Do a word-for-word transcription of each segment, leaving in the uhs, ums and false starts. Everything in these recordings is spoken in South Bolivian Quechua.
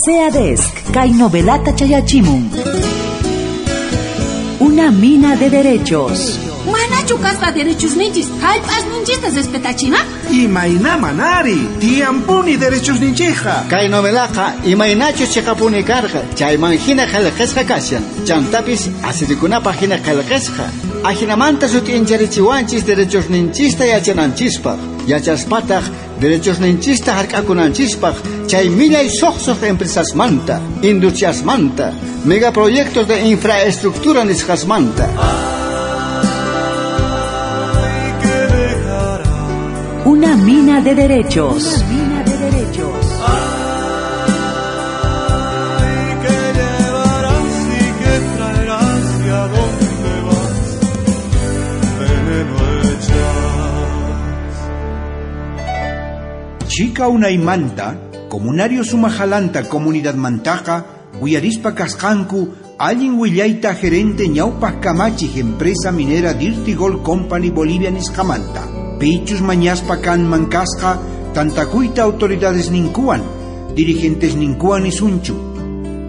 SEADESC, kay novelata chayachimun. Una mina de derechos. Manachu kasqa derechos ninchis, hallp'as ninchista respetachina? Imayna manari, tiyampuni derechos ninchija. Kay novelaqa imaynachus chiqapuni karqa, chayman hina qillqasqa kashan. Chantapis asirikunapaq hina qillqasqa. Ajinamanta sut'incharichiwanchis derechos ninchista yachananchispaq. Yachaspataq derechos ninchista hark'akunanchispaq chay millay suqsuq empresasmanta, industriasmanta, megaproyectos de infraestructura nisqasmanta. Una mina de derechos. Una mina de derechos. Ay, que llevarás y que traerás y a dónde vas, veneno echas. Chica unaymanta, comunario sumajalanta comunidad mantaqa, uyarispa kasqanku, allin willayta gerente ñawpaq kamachij empresa minera Dirty Gold Company Bolivia nisqamanta. Pichus mañaspa kanman kasqa, tantakuyta autoridades ninkuwan, dirigentes ninkuwan isunchu.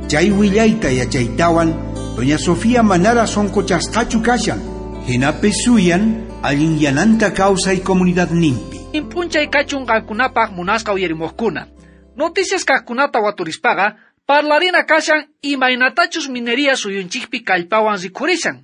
Chay willayta yachaytawan, doña Sofía manara sonkochasqachu kashan, hinapis suyan, allin yananta kawsay comunidad nimpi. Impunchay kachun qankunapaq munasqa uyarimuqkuna. Noticias kaqkunata waturispaqa, parlarina kashan imaynatachus minería suyunchikpi kallpawan rikhurishan.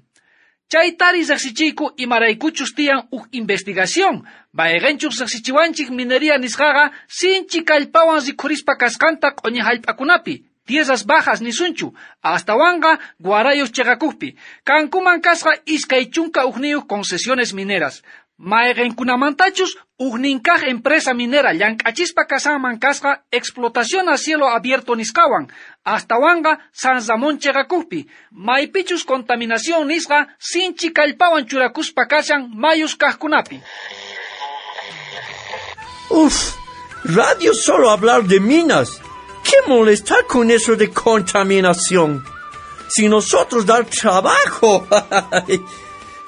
Chaytari riqsichiyku imaraykuchus tiyan uj investigación, mayqinchus riqsichiwanchik minería nisqaqa sinchi kallpawan rikhurispa kasqanta q'uñi hallp'akunapi, tierras bajas nisunchu, astawanqa guarayos chiqakuqpi, kankuman kasqa iskay chunka ujniyuq concesiones mineras. Mayqinkunamantachus ujninkaq empresa minera llank'achispa kasanman kasqa explotación a cielo abierto nisqawan, astawanqa San Ramón chiqakuqpi, maypichus contaminación nisqa sinchi kallpawan churakuspa kashan mayus kaqkunapi. Uf, radio solo hablar de minas. ¿Qué molestar con eso de contaminación? Si nosotros dar trabajo.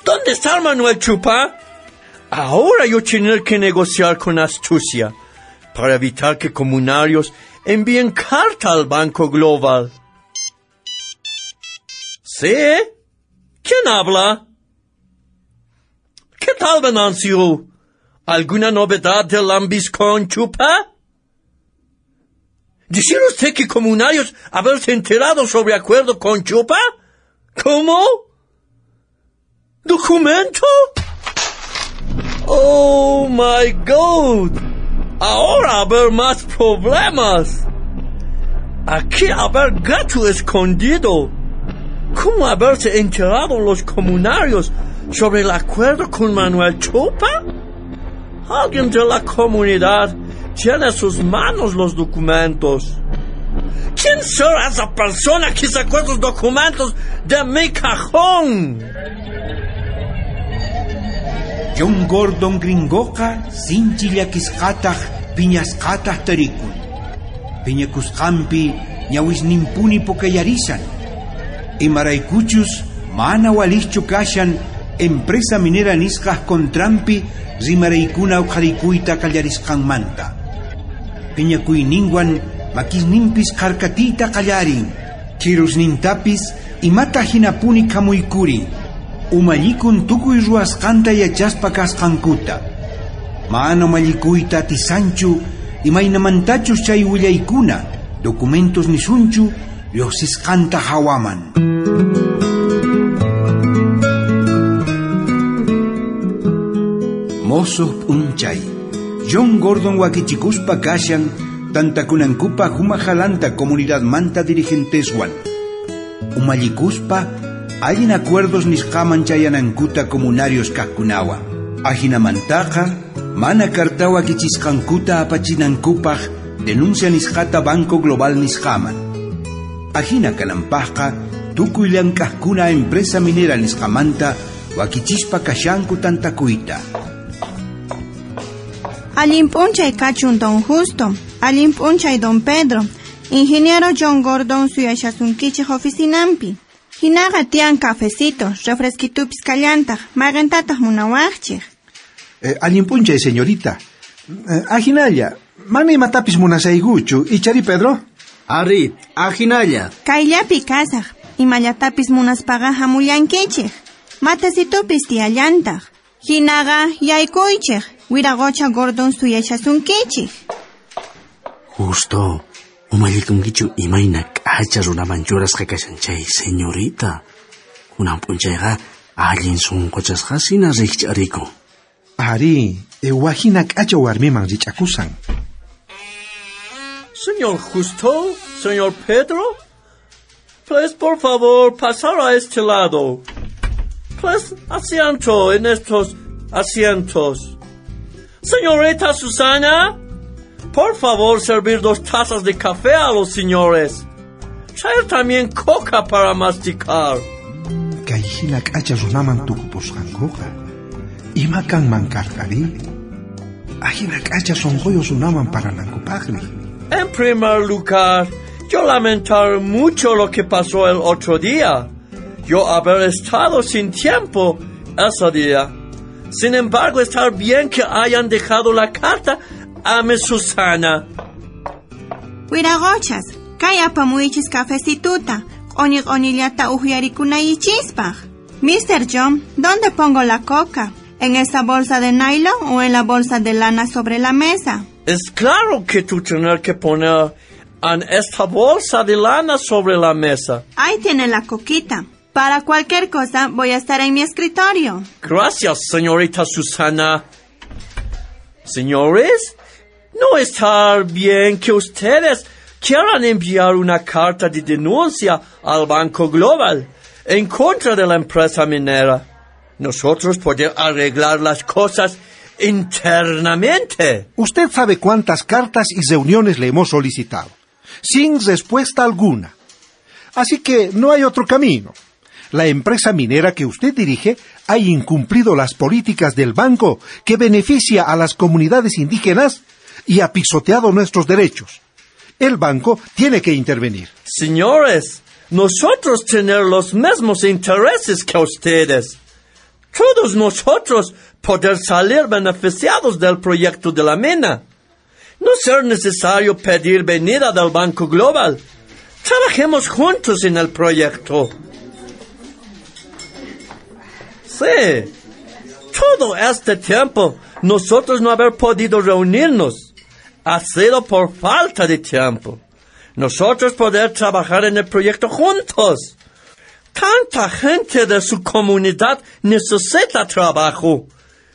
¿Dónde está Manuel Chupa? Ahora yo tener que negociar con astucia para evitar que comunarios envíen carta al Banco Global. ¿Sí? ¿Quién habla? ¿Qué tal, Venancio? ¿Alguna novedad del lambiscón Chupa? ¿Decir usted que comunarios haberse enterado sobre acuerdo con Chupa? ¿Cómo? ¿Documento? Oh my God! Ahora haber más problemas. Aquí haber gato escondido. ¿Cómo haberse enterado los comunarios sobre el acuerdo con Manuel Chupa? Alguien de la comunidad tiene en sus manos los documentos. ¿Quién será esa persona que sacó esos documentos de mi cajón? John Gordon gringoqa sinchi llakisqataq piñasqataq tarikun. Piñakusqanpi ñawisninpuni pukayarisan. Imaraykuchus mana walischu kashan empresa minera nisqaj contranpi rimaraykuna uqharikuyta qallarisqanmanta. Piñakuyninwan makisninpis kharkatiyta qallarin. Chirusnintapis imata hinapuni khamuykurin. Umallikun tukuy ruwasqanta yachaspa kasqankuta. Mana umallikuyta atisanchu imaynamantachus chay willaykuna documentos nisunchu lluqsisqanta hawaman. Mosuq p'unchay, John Gordon wakichikuspa kashan tantakunankupaq humajalanta comunidadmanta dirigenteswan. Umallikuspa allin acuerdos nisqaman chayanankuta comunarios kaqkunawan. Ajinamantaqa mana kartawa kichisqankuta apachinankupaq denuncia nisqata Banco Global nisqaman. Ajina kananpaqqa tukuy llank'aqkuna empresa minera nisqamanta wakichispa kashanku tantakuyta. Allin p'unchay kachun don Justo, allin p'unchay don Pedro, ingeniero John Gordon suyashasunkichik oficinampi. Hinaqa tiyan cafecito, refresquitupis kallantaq, mayqintataq munawaqchik. Eh, allin p'unchay, señorita. Eh, ajinalla, mana imatapis munasaykuchu, ichari Pedro? Ari, ajinalla. Kayllapi kasaj, imallatapis munaspaqa hamullankichej. Matecitupis tiyallantaq. Hinaqa yaykuychej, wiraqocha Gordon suyashasunkichej. Justo, umallikunkichu imayna k'acha runaman churasqa kashan chay señorita. Kunan p'unchayqa allin sunquchasqasina rikch'arikun. Ari, ewahina k'acha warmiman rich'akusan. Señor Justo, señor Pedro, please, por favor, pasar a este lado. Please, asiento en estos asientos. Señorita Susana, por favor, servir dos tazas de café a los señores. Traer también coca para masticar. Kayhina k'acha runaman tukupusqankuqa. Ima kanman karqari? Ajina k'acha sunquyuq runaman paranankupaqri. En primer lugar, yo lamentar mucho lo que pasó el otro día. Yo haber estado sin tiempo ese día. Sin embargo, está bien que hayan dejado la carta a mi Susana. Wiraqochas, kay apamuychis cafecituta, q'uñi q'uñillata uhyarikunaychispaq. mister John, ¿dónde pongo la coca? ¿En esa bolsa de nylon o en la bolsa de lana sobre la mesa? Es claro que tú tienes que poner en esta bolsa de lana sobre la mesa. Ahí tiene la coquita. Para cualquier cosa voy a estar en mi escritorio. Gracias, señorita Susana. Señores, no está bien que ustedes quieran enviar una carta de denuncia al Banco Global en contra de la empresa minera. Nosotros podemos arreglar las cosas internamente. Usted sabe cuántas cartas y reuniones le hemos solicitado, sin respuesta alguna. Así que no hay otro camino. La empresa minera que usted dirige ha incumplido las políticas del banco que beneficia a las comunidades indígenas y ha pisoteado nuestros derechos. El banco tiene que intervenir. Señores, nosotros tenemos los mismos intereses que ustedes. Todos nosotros poder salir beneficiados del proyecto de la mina. No ser necesario pedir venida del Banco Global. Trabajemos juntos en el proyecto. Sí, todo este tiempo nosotros no haber podido reunirnos ha sido por falta de tiempo. Nosotros poder trabajar en el proyecto juntos. Tanta gente de su comunidad necesita trabajo.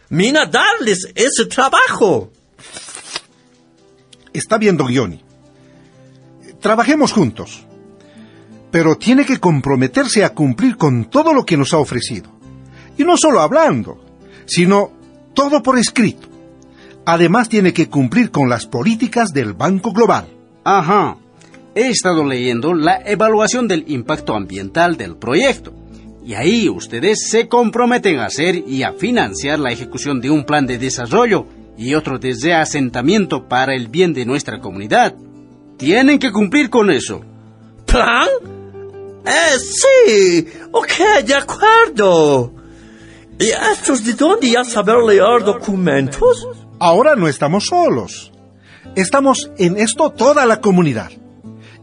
Mina darles ese trabajo. Está bien, don Johnny. Trabajemos juntos. Pero tiene que comprometerse a cumplir con todo lo que nos ha ofrecido. Y no solo hablando, sino todo por escrito. Además tiene que cumplir con las políticas del Banco Global. Ajá. He estado leyendo la evaluación del impacto ambiental del proyecto. Y ahí ustedes se comprometen a hacer y a financiar la ejecución de un plan de desarrollo y otro de reasentamiento para el bien de nuestra comunidad. Tienen que cumplir con eso. ¿Plan? Eh, sí. Ok, de acuerdo. ¿Y estos de dónde ya saber leer documentos? Ahora no estamos solos. Estamos en esto toda la comunidad.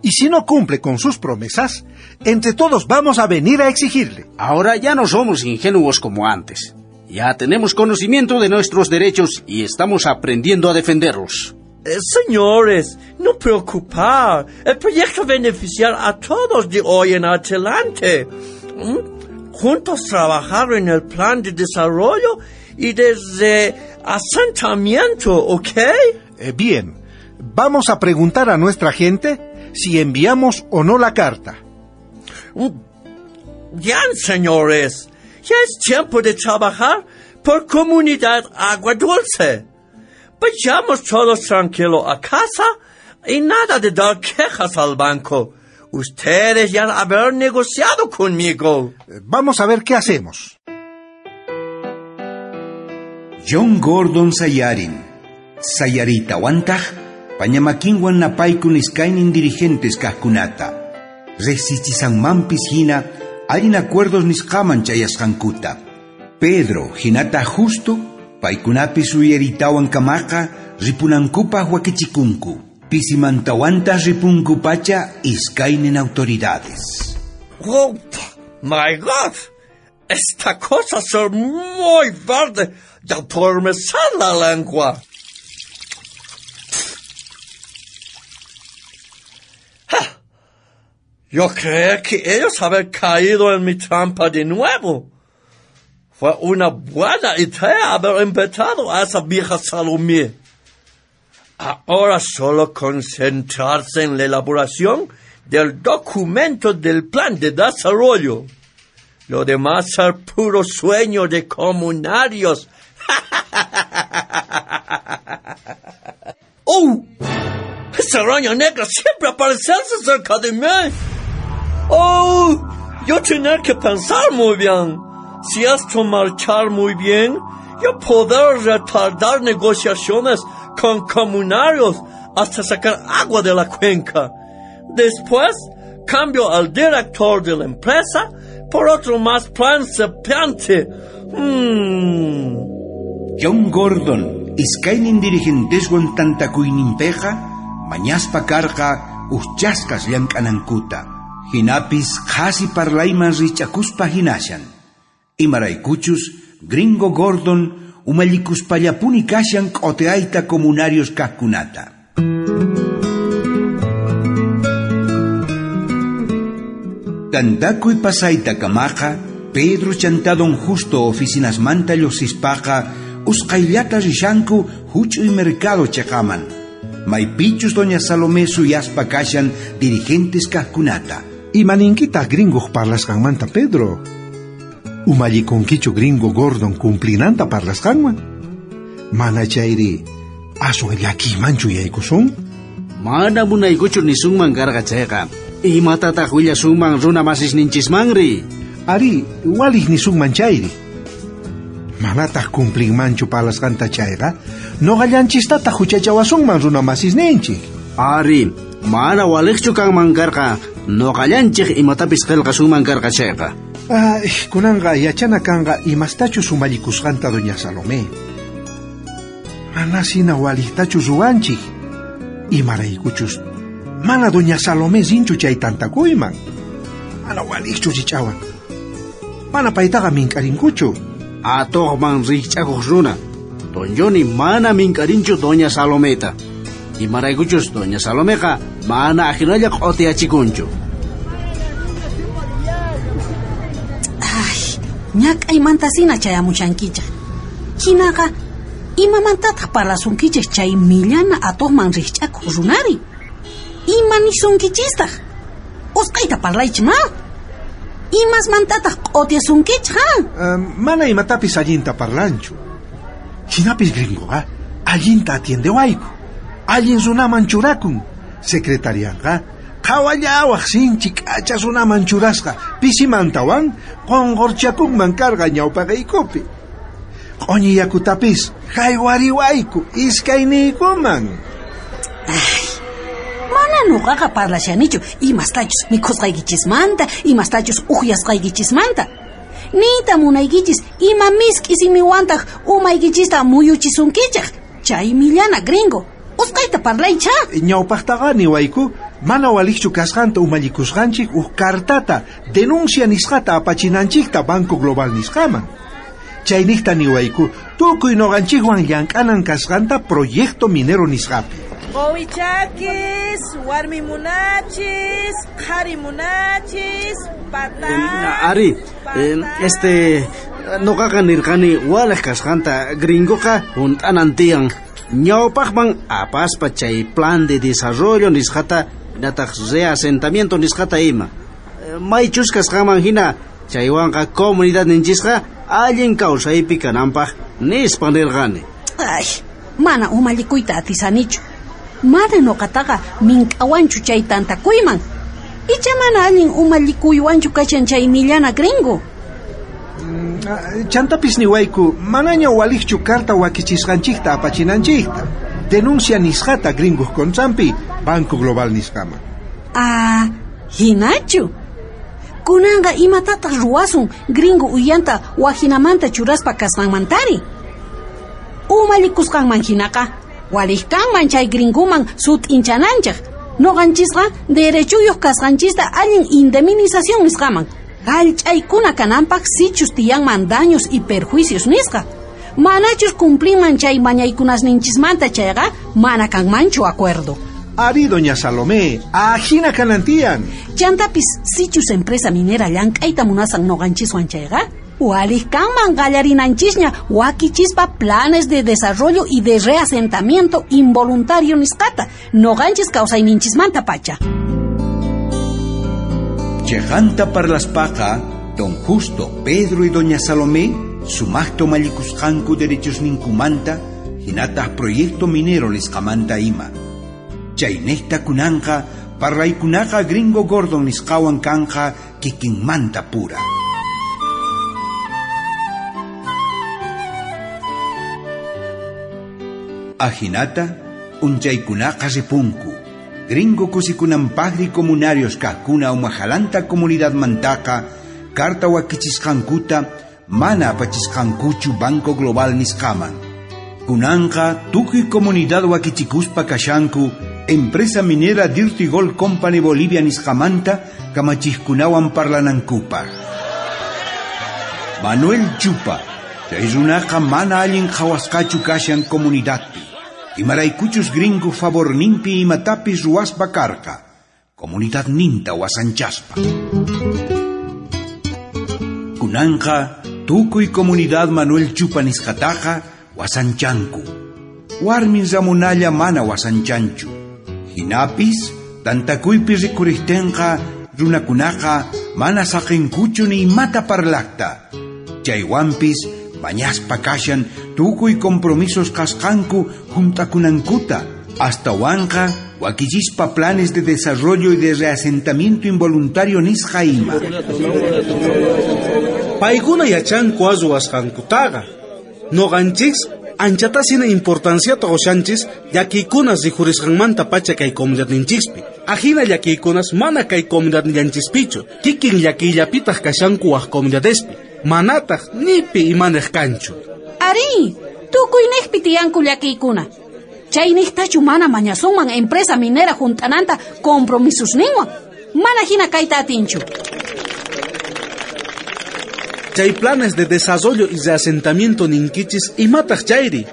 Y si no cumple con sus promesas, entre todos vamos a venir a exigirle. Ahora ya no somos ingenuos como antes. Ya tenemos conocimiento de nuestros derechos y estamos aprendiendo a defenderlos. Eh, señores, no preocupar. El proyecto beneficiar a todos de hoy en adelante. ¿Mm? Juntos trabajar en el plan de desarrollo y de asentamiento, ¿ok? Eh, bien, vamos a preguntar a nuestra gente si enviamos o no la carta. Bien, señores, ya es tiempo de trabajar por comunidad Agua Dulce. Vayamos todos tranquilos a casa y nada de dar quejas al banco. Ustedes ya haber negociado conmigo. Vamos a ver qué hacemos. John Gordon sayarin. Sayaritawantaj, pañamakinwan napaykun iskaynin dirigentes kajkunata. Rejsichisanmanpis hina, allin acuerdos nisqaman chayasqankuta. Pedro hinata Justo, paykunapis uyaritawan kamaqa ripunankupaq wakichikunku. Pisimantawanta ripunku pacha iskaynin autoridades. Oh, my God! Esta cosa es muy verde de adormecer la lengua. Ja, yo creía que ellos habían caído en mi trampa de nuevo. Fue una buena idea haber invitado a esa vieja Salomé. Ahora solo concentrarse en la elaboración del documento del plan de desarrollo. Lo demás es puro sueño de comunarios. ¡Oh! Esa araña negra siempre aparece cerca de mí. ¡Oh! Yo tener que pensar muy bien. Si esto marchar muy bien, yo poder retardar negociaciones con comunarios hasta sacar agua de la cuenca. Después, cambio al director de la empresa por otro más principiante. Hmm. John Gordon, iskaynin dirigenteswan tantakuyninpeqa, mañaspa karqa uchasqas llank'anankuta. Hinapis qhasi parlayman rich'akuspa hinashan. Imaraykuchus, Gringo Gordon umallikuspallapuni kashan q'oteayta comunarios kajkunata. Tantakuy pasayta kamaqa, Pedro chanta don Justo oficinasmanta lluqsispaqa usqhayllata rishanku huch'uy mercado chaqaman. Maypichus doña Salomé suyaspa kashan dirigentes kajkunata. Imaninkitaq gringoq parlasqanmanta, Pedro? Umallikunkichu Gringo Gordon cumplinanta parlasqanman? Mana chayri aswan llakiymanchu yaykusun? Mana munaykuchu nisunman karqa chayqa. Imatataq willasunman runa masisninchismanri? Ari, walij nisunman chayri. Manataq cumplinmanchu parlasqanta chayqa, noqallanchistataq huchachawasunman runa masisninchik. Ari, mana walijchu kanman karqa, noqallanchik imatapis qillqasunman karqa chayqa. Ay, kunanqa yachana kanqa imastachus umallikusqanta doña Salomé. Manasina walijtachu ruwanchik. Imaraykuchus mana doña Salomé rinchu chay tantakuyman. Mana walijchu rich'awan. Mana paytaqa mink'arinkuchu. Atuqman rikch'akuq runa. Don Johnny mana mink'arinchu doña Salometa. Imaraykuchus doña Salomeqa mana ajinalla q'otiyachikunchu. Ay, ñak'aymantasina chayamushankichaq. Hinaqa imamantataq parlasunkichik chay millana atuqman rikch'akuq runari? Ima nisunkichistaq? Usqhayta parlaychik ma? Imasmantataq q'otiyasunkichik, ha? Uh, mana imatapis allinta parlanchu. Hinapis gringoqa allinta atiendewayku. Allin runaman churakun. Secretarianqa qhawallawaq sinchi k'acha runaman churasqa pisimantawan qunqurchakunman karqa ñawpaqaykupi. Q'uñi yakutapis haywariwayku iskayniykuman. Ay, mana nuqaqa parlashanichu imastachus mikhusqaykichismanta, imastachus uhyasqaykichismanta. Niyta munaykichis ima misk'i simiwantaq umaykichista muyuchisunkichik. Chay millana gringo. Usqhayta parlaycha. Ñawpaqtaqa niwayku mana walijchu kasqanta umallikusqanchik uj cartata denuncia nisqata apachinanchikta Banco Global nisqaman. Chayniqta niwayku tukuy noqanchikwan llank'anan kasqanta proyecto minero nisqapi. Qowichakis, warmi munachis, qhari munachis, patá. Ari, eh, este noqaqa nirqani walej kasqanta gringoqa hunt'anan tiyan. Ñawpaqman apaspa chay plan de desarrollo nisqata nataq reasentamiento nisqata ima. Maychus kasqanman hina chaywanqa comunidad ninchisqa allin kawsaypi kananpaq nispa nirqani. Ay, mana umallikuyta atisanichu. Mana nuqataqa mink'awanchu chay tantakuyman. Icha mana allin umallikuywanchu kashan chay millana gringo. Chantapis niwayku manaña walijchu carta wakichisqanchikta apachinanchikta. Denuncia nisqata gringoq contranpi Banco Global nisqaman. Ah, hinachu. Kunanqa imatataq ruwasun gringo uyanta wajinamanta churaspa kasqanmantari. Umallikusqanman hinaqa Walij kanman chay gringuman sut'inchananchej. Noqanchisqa derechuyuq kasqanchista allin indemnización nisqaman. Jallch'aykuna kananpaq sichus tiyanman daños y perjuicios nisqa. Manachus cumplinman chay mañaykunasninchismanta chayqa mana kanmanchu acuerdo. Ari, doña Salomé, ajina kanantian. Chantapis sichus empresa minera llank'ayta munasan noqanchiswan chayqa, walij kanman qallarinanchisña wakichispa planes de desarrollo y de reasentamiento involuntario nisqata noqanchis kawsayninchismanta pacha. Chejanta parlaspaqa, don Justo, Pedro y doña Salomé sumaqta umallikusqanku derechosninkumanta hinataq proyecto minero nisqamanta ima. Chaynejta kunanqa parlaykunaqa gringo Gordon nisqawan kanqa kikinmanta pura. Ajinata, unchaykunaqa ripunku. Gringo kusikunanpaqri comunarios kajkuna umajalanta comunidadmantaqa carta wakichisqankuta mana apachisqankuchu Banco Global nisqaman. Kunanqa tukuy comunidad wakichikuspa kashanku empresa minera Dirty Gold Company Bolivia nisqamanta kamachijkunawan parlanankupaq. Manuel Chupa, chay runaqa mana allin qhawasqachu kashan comunidadpi. Imaraykuchus gringo favorninpi imatapis ruwaspa karqa, comunidadninta wasanchaspa. Kunanqa tukuy comunidad Manuel Chupa nisqataqa wasanchanku. Warmin Ramonalla mana wasanchanchu. Hinapis, tantakuypi rikurihtenqa runakunaqa mana saqinkuchu ni imata parlaqta. Chaywanpis mañaspa kashan tukuy compromisos kasqanku juntakunankuta. Astawanqa wakichispa planes de desarrollo y de reasentamiento involuntario nisqa ima. Paykuna yachanku ruwasqankutaqa. Noqanchis anchatasina importanciata qushanchis llakiykunas rikhurisqanmanta pacha kay comunidadninchispi. Ajina llakiykunas mana kay comunidadnillanchispichu, kikin llakiyllapitaq kashanku waj comunidadespi. Manataq nipi imanej kanchu. Ari, tukuynejpi tiyanku llakiykuna. Chaynejtachu mana mañasunman empresa minera junt'ananta compromisusninwan. Mana hina kayta atinchu. Chay planes de desarrollo y reasentamiento ninkichis imataq chayri.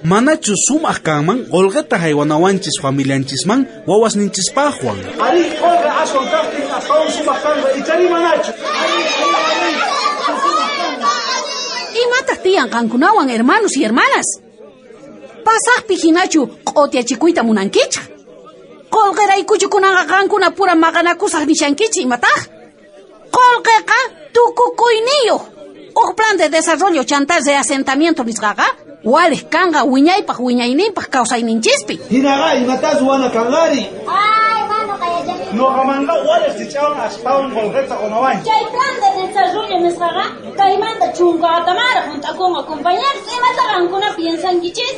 Manachu sumaq kanman qolqeta haywanawanchis familianchisman wawasninchispaqwan. Ari, qolqe aswan kaqtin astawan sumaq kanqa ichari manachu. Imataq tiyan qankunawan hermanos y hermanas? Pasaqpi hinachu q'otiyachikuyta munankichaq. Qolqeraykuchu kunanqa qankuna pura maqanakusaq nishankichik imataq? Qolqeqa tukukuyniyuq. Uj plan de desarrollo chanta reasentamiento nisqaqa walej kanqa wiñaypaq wiñayninpaq kawsayninchispi. Hinaqa imatas ruwana kanqari. Ay, mano, kayachani. Noqamanqa walej chichawan astawan qolqeta qunawanchik. Chay plan de desarrollo nisqaqa kaymanta chunka watamara junt'akunqa compañeros, imata qankuna piensankichis?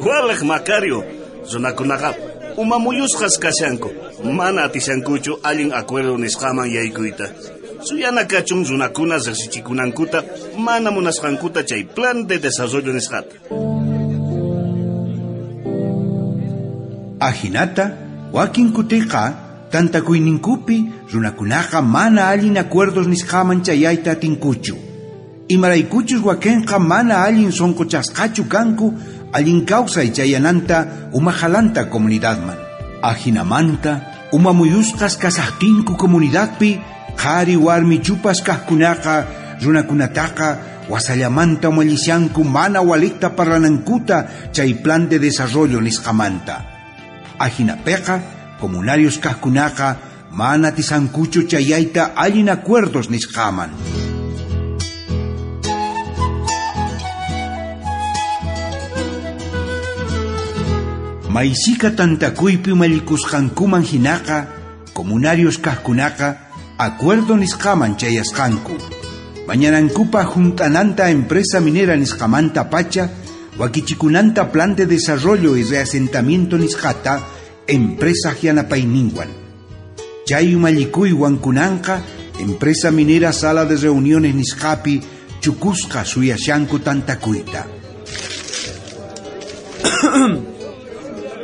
Walej Macario, runakunaqa umamuyusqas kashanku, mana atishankuchu allin acuerdo nisqaman yaykuyta. Suyana kachun runakuna riqsichikunankuta mana munasqankuta chay plan de desarrollo nisqata. Ajinata, wakin kutiqa tantakuyninkupi runakunaqa mana allin acuerdos nisqaman chayayta atinkuchu. Imaraykuchus wakinqa mana allin sonqochasqachu kanku allin kawsay chayananta umajalanta comunidadman. Ajinamanta umamuyusqas kasaqtinku comunidadpi qhari warmi chupas kaqkunaqa runakunataqa wasallamanta umallishanku mana walikta parlanankuta chay plan de desarrollo nisqamanta. Ajinapiqa comunarios kaqkunaqa mana tisankuchu chayayta allin acuerdos nisqaman. Maysika tantakuypi umallikusqankuman hinaqa comunarios kaqkunaqa acuerdo nisqaman chayasqanku. Mañanankupa junt'ananta empresa minera nisqamanta pacha wakichikunanta plan de desarrollo y reasentamiento nisqata empresa yanapayninwan. Chay umallikuywan kunanqa empresa minera sala de reuniones nisqapi chukusqa suyashanku tantakuyta.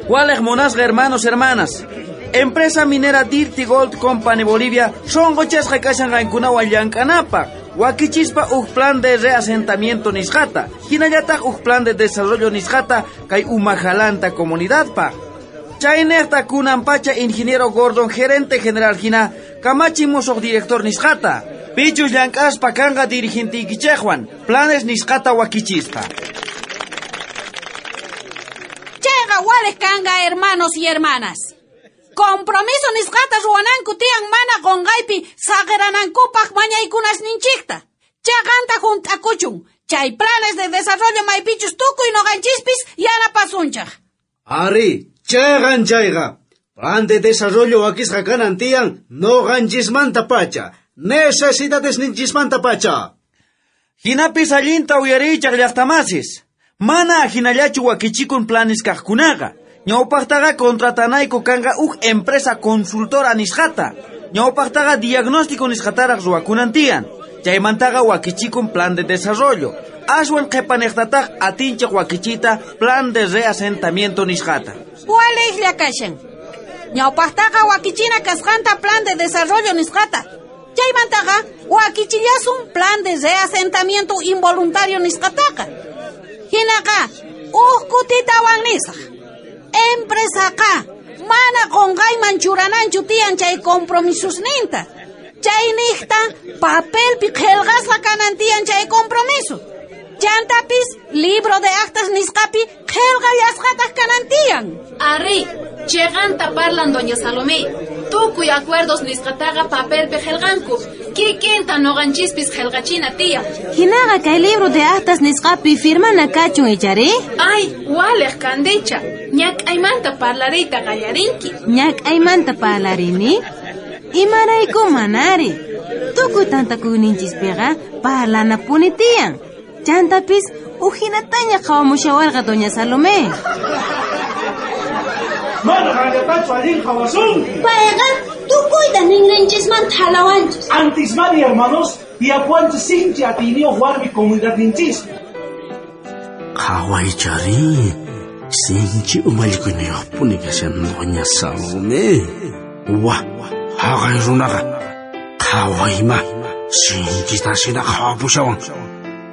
Walej monasqa hermanos, hermanas. Empresa minera Dirty Gold Company Bolivia sonqochasqa kashan qankunawan llank'anapaq. Wakichispa uj plan de reasentamiento nisqata, hinallataq uj plan de desarrollo nisqata kay Umajalanta comunidadpaq. Chaynejta kunan pacha ingeniero Gordon, gerente general hina, kamachi musuq director nisqata. Pichus llank'aspa kanqa dirigentiykichejwan, planes nisqata wakichispa. Chayqa walej kanqa, hermanos y hermanas. Compromiso nisqata ruwananku tiyan mana qonqaypi saqiranankupaq mañaykunasninchikta. Chaqanta junt'akuchun, chay planes de desarrollo maypichus tukuy noqanchispis yanapasunchaj. Ari, chayqan chayqa. Plan de desarrollo wakisqa kanan tiyan noqanchismanta pacha. Necesidades ninchismanta pacha. Hinapis allinta uyariychaj llaqtamasis. Mana ajinallachu wakichikun planes kaqkunaqa. Ñawpaqtaqa contratanayku kanqa uj empresa consultora nisqata. Ñawpaqtaqa diagnóstico nisqataraq ruwakunan tiyan. Chaymantaqa wakichikun plan de desarrollo. Aswan qhipanejtataq atinchej wakichita plan de reasentamiento nisqata. Walejlla kashan. Ñawpaqtaqa wakichina kasqanta plan de desarrollo nisqata. Chaymantaqa wakichillasun plan de reasentamiento involuntario nisqataqa. Hinaqa uj kutitawan nisaq. Empresaqa mana qonqayman churananchu tiyan chay compromisusninta. Chaynijta papelpi qhelqasqa kanan tiyan chay compromiso. Chantapis libro de actas nisqapi qhelqallasqataq kanan tiyan. Ari, cheganta parlan doña Salomé. Tukuy acuerdos nisqataqa papelpi qhelqanku. Kikinta noqanchispis qhelqachina tiyan. Hinaqa kay libro de actas nisqapi firmana kachun ichari? Ay, walej kandicha. Ñak'aymanta parlariyta qallarinki. Ñak'aymanta parlarini? Imarayku manari. Tukuy tantakuyninchispiqa parlanapuni tiyan. Chantapis ujinataña qhawamushawarqa doña Salomé. Mana qanllatachu allin qhawasunki. Payqa tukuyta ninrinchismanta halawanchis. Antismani, hermanos, tiyapuwanchis sinchi atiyniyuq warmi comunidadninchispi. Qhawaychari, sinchi umallikuniyuqpuni kashan doña Salomé. Wa, haqay runaqa qhawayma, sinchita sina qhawapushawan.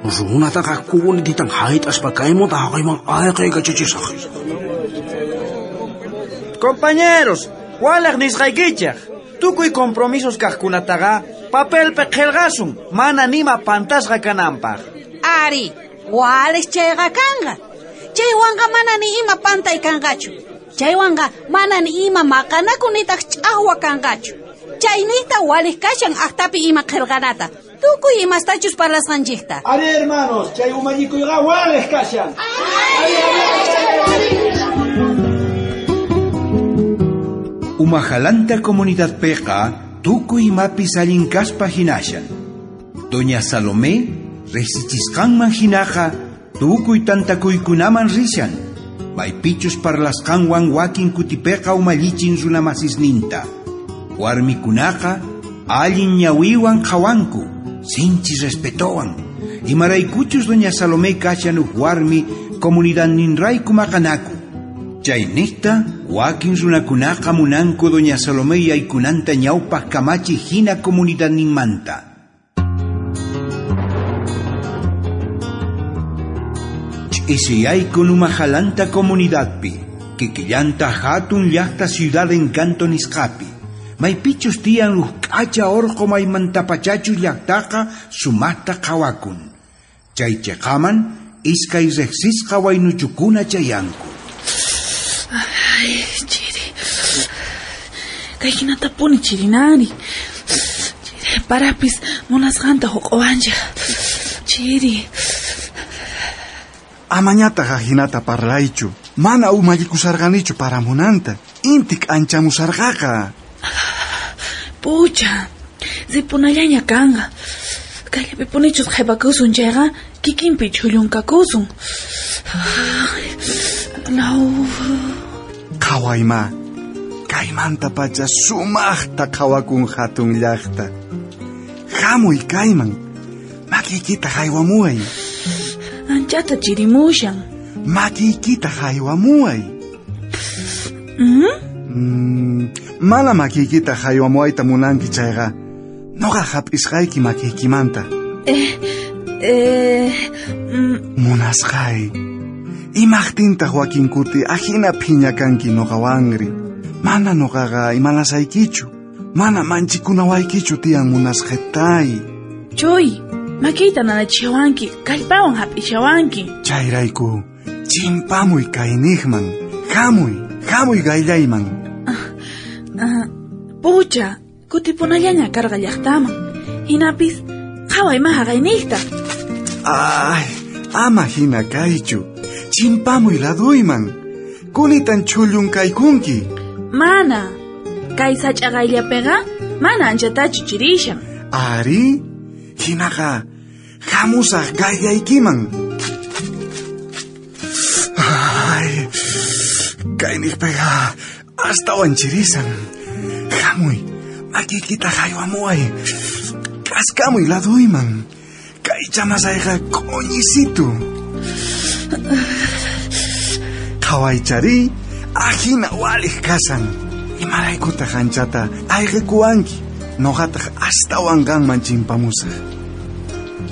Runataqa kunititan hayt'aspa kaymunta haqayman ayqaykachachisaq. Compañeros, walej nisqaykichej. Tukuy compromisos kaqkunataqa papelpi qhelqasun, mana nima pantasqa kananpaq. Ari, walej chayqa kanqa. Chaywanqa mana ni ima pantay kanqachu. Chaywanqa mana ni ima maqanaku nitaq ch'aqwa kanqachu. Chaynijta walej kashan aqtapi ima qhelqanata. Tukuy imastachus parlasqanchikta. Ari, hermanos, chay umallikuyqa walej kashan. Ari, ari, ari, ari. Umajalanta comunidad peqa tukuy imapis allin kaspa hinashan. Doña Salomé riqsichisqanman hinaqa tukuy tantakuykunaman rishan. Maypichus parlasqanwan wakin kutipeqa umallichin runamasisninta. Warmikunaqa allin ñawiwan qhawanku, sinchi respetowan. Imaraykuchus doña Salomé kashan uj warmi comunidadninrayku maqanaku. Chaynijta wakin runakunaqa munanku doña Salomé yaykunanta ñawpaq kamachi hina comunidadninmanta. Ch'isiyayku Umajalanta comunidadpi, kikillanta hatun llaqta ciudad Encanto nisqapi. Maypichus tiyan uj k'acha orqo maymantapachachus llaqtaqa sumaqta qhawakun. Chay chiqaman iskay riqsisqa waynuchukuna chayanku. Ay, chiri. Kay hinatapuni chirinani. Chiri, parapis munasqanta huq'uwanchik. Chiri. Amañataq ajinata parlaychu. Mana umallikusarqanichu paramunanta. Intik anchamusarqaqa. Pucha, ripunallaña kanqa. Kayllapipunichus qhipakusun chayqa kikinpi chhullunkakusun. Law. Qhawayma, kaymantapacha sumaqta qhawakun hatun llaqta. Hamuy kayman, makiykita haywamuway. Anchata chirimushan. Makiykita haywamuway. Mm? Mm, mana makiykita haywamuwayta munanki chayqa, noqa hap'isqayki makiykimanta. Eh, eh, mm. Munasqay, imaqtintaq wakinkuti ajina phiña kanki noqawanri. Mana noqaqa imanasaykichu, mana manchikunawaykichu tiyan munasqetay. Chuy, makiyta nanachiwanki, kallpawan hap'ishawanki. Chayrayku, chimpamuy kayniqman, hamuy, hamuy gayllayman. Uh, uh, pucha, kutipunallaña karqa llaqtaman. Hinapis, qhaway ma haqayniqta. Ay, ama hina kaychu, chimpamuy laduyman. Kunitan chullun kaykunki. Mana, kay sach'a qayllapiqa mana anchatachu chirishan. Ari, hinaqa hamusaq gayllaykiman. Ay, kayniqpiqa astawan chirisan. Hamuy, makiykita haywamuway. K'askamuy laduyman. Kay chamasayqa q'uñisitu. Qhawaychari, ajina waliq kasan. Imaraykutaq anchata ayqikuwanki, noqataq astawan qanman chimpamusaq.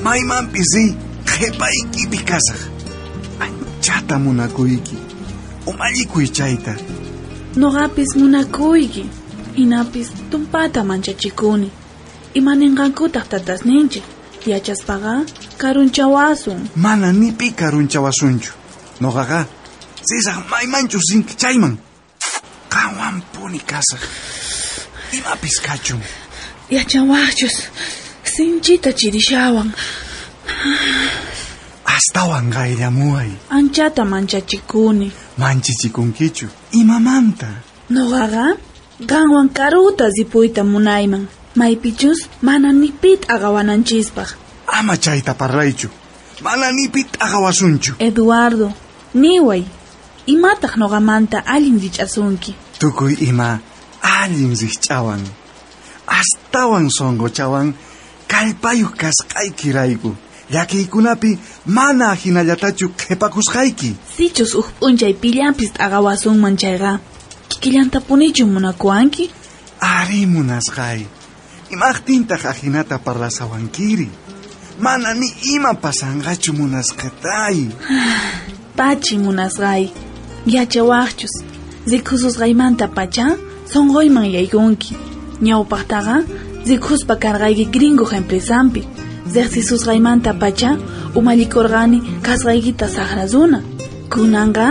Maymanpis riy, qhipaykipi kasaq. Anchata munakuyki, umallikuy chayta. Noqapis munakuyki, hinapis tumpata manchachikuni. Imaninqankutaq tatasninchik, yachaspaqa karunchawasun. Mana ni pi karunchawasunchu. Noqaqa risaq maymanchus rinki chayman. Qanwanpuni kasaq. Imapis kachun. Yachawaqchus, sinchita chirishawan. Astawan qayllamuway. Anchata manchachikuni. Manchichikunkichu, imamanta? Noqaqa qanwan karuta ripuyta munayman. Maypichus mana ni pi t'aqawananchispaq. Ama chayta parlaychu. Mana ni pi t'aqawasunchu. Eduardo, niway, imataq noqamanta allin rich'asunki? Tukuy ima allin rich'awan. Astawan sonqochawan kallpayuq kasqaykirayku. Llakiykunapi mana hinallatachu qhipakusqayki. Sichus uj p'unchay pillanpis t'aqawasunman chayqa, kikillantapunichu munakuwanki? Ari munasqay. Imaqtintaq ajinata parlasawankiri. Mana ni ima pasanqachu munasqetay. Pachi munasqay, yachawaqchus, rikususqaymanta pacha sonqoyman yaykunki. Ñawpaqtaqa rikuspa karqayki gringo empresampi. Riqsisusqaymanta pacha umallikurqani kasqaykita saqra runa. Kunanqa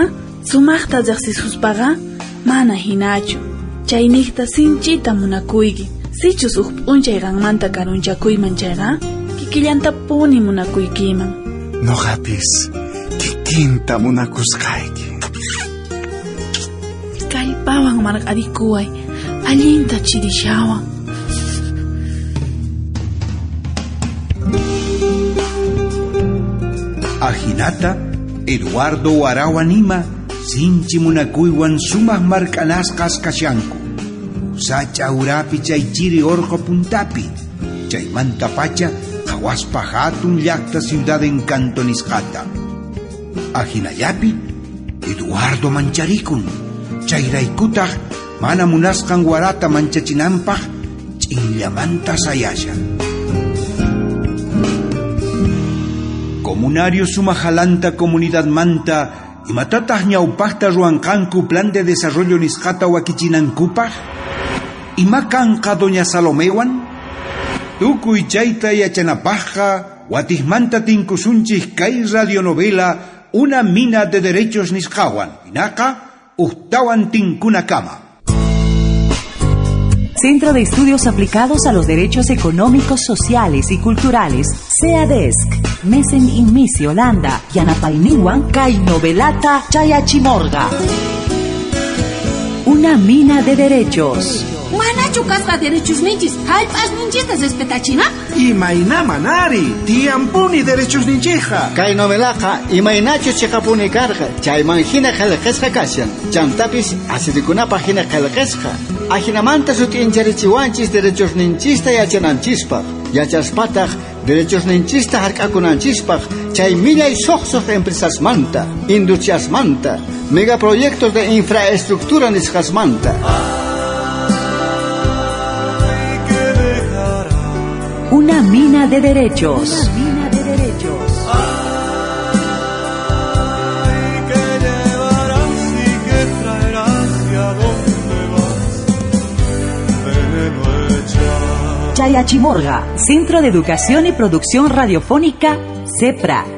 sumaqta riqsisuspaqa mana hinachu. Chayniqta sinchita munakuyki. Sichus uj p'unchay qanmanta karunchakuyman chayqa, kikillantapuni munakuykiman. Noqapis kikinta munakusqayki. Kallpawan marq'arikuway, allinta chirishawan. Ajinata, Eduardo Warawan ima, sinchi munakuywan sumaq mark'anasqas kashanku. Sach'a urapi chay chiri orqo puntapi. Chaymanta pacha qhawaspa hatun llaqta ciudad Encanto nisqata. Ajinallapi, Eduardo mancharikun. Chayraykutaq mana munasqan warata manchachinanpaq ch'inllamanta sayashan. Comunario sumajalanta comunidad manta imatataq ñawpaqta ruwanqanku plan de desarrollo nisqata wakichinankupaq? Ima kanqa doña Salomewan? Tukuy chayta yachanapaqqa watijmanta tinkusunchik kay radionovela Una mina de derechos nisqawan. Hinaqa uhtawan tinkunakama. Centro de Estudios Aplicados a los Derechos Económicos, Sociales y Culturales, CEADESC, Mesen Inmisi, Holanda, Yanapayniwan, kay novelata Chayachimorga. Una mina de derechos. Manachu kasqa derechos ninchis, hallp'as ninchista respetachina? Imayna manari, tiyampuni derechos ninchija. Kay novelaqa imaynachus chiqapuni karqa, chayman hina qillqasqa kashan. Chantapis asirikunapaq hina qillqasqa. Ajinamanta sut'incharichiwanchis derechos ninchista yachananchispaq. Yachaspataq Derechosninchista hark'akunanchispaq chay millay soqsoq empresasmanta, industriasmanta, megaproyectos de infraestructura nisqasmanta. Una mina de derechos. Una mina de derechos. Ay, ¿qué llevarás y qué traerás y a dónde vas? Veneno echas. Chayachimorga, Centro de Educación y Producción Radiofónica, CEPRA.